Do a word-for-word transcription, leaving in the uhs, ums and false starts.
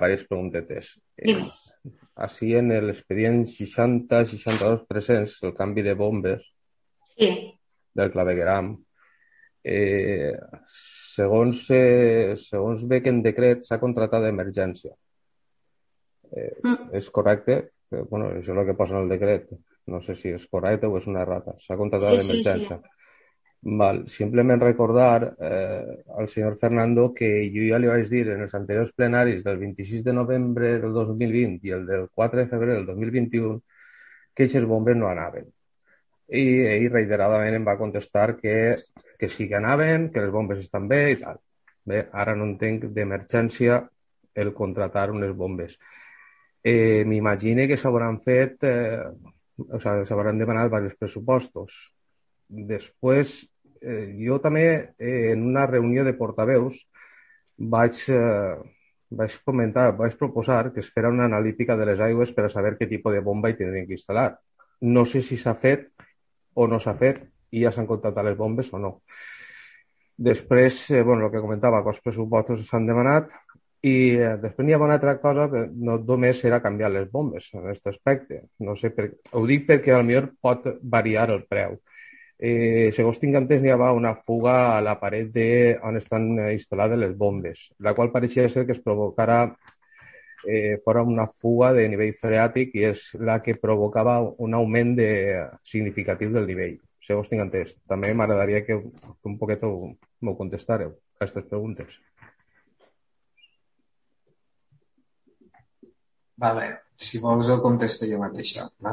diverses preguntetes. Dime. Eh, així en l'expedient seixanta seixanta-dos tres-cents, el canvi de bombes Sí. del clavegueram, eh, segons, eh, segons ve que en decret s'ha contratat d'emergència. Eh, Mm. és correcte? Eh, bueno, això és el que posa en el decret. No sé si és correcte o és una errata. S'ha contratat Sí, sí, sí. d'emergència. Val. Simplement recordar eh, al senyor Fernando que jo ja li vaig dir en els anteriors plenaris del vint-i-sis de novembre del dos mil vint i el del quatre de febrer del dos mil vint-i-u que aquestes bombes no anaven. I ell reiteradament em va contestar que, que sí que anaven, que les bombes estan bé i tal. Bé, ara no entenc d'emergència el contratar unes bombes. Eh, M'imagine que s'hauran fet, eh, o sigui, s'hauran demanat diversos pressupostos. Després, eh, jo també, eh, en una reunió de portaveus, vaig, eh, vaig comentar, vaig proposar que es fera una analítica de les aigües per a saber què tipus de bomba hi tindrien que instal·lar. No sé si s'ha fet o no s'ha fet i ja s'han contractat les bombes o no. Després, eh, bueno, el que comentava, que els pressupostos s'han demanat i eh, després n'hi ha una altra cosa que no només era canviar les bombes en aquest aspecte. No sé per... Ho dic perquè potser pot variar el preu. Eh, segons tinc entès, n'hi havia una fuga a la paret de on estan eh, instal·lades les bombes, la qual pareixia ser que es provocara eh, fora una fuga de nivell freàtic i és la que provocava un augment de, significatiu del nivell. Segons tinc entès. També m'agradaria que un poquet m'ho contestareu a aquestes preguntes. Vale, si vols ho contesto jo mateixa. Vale?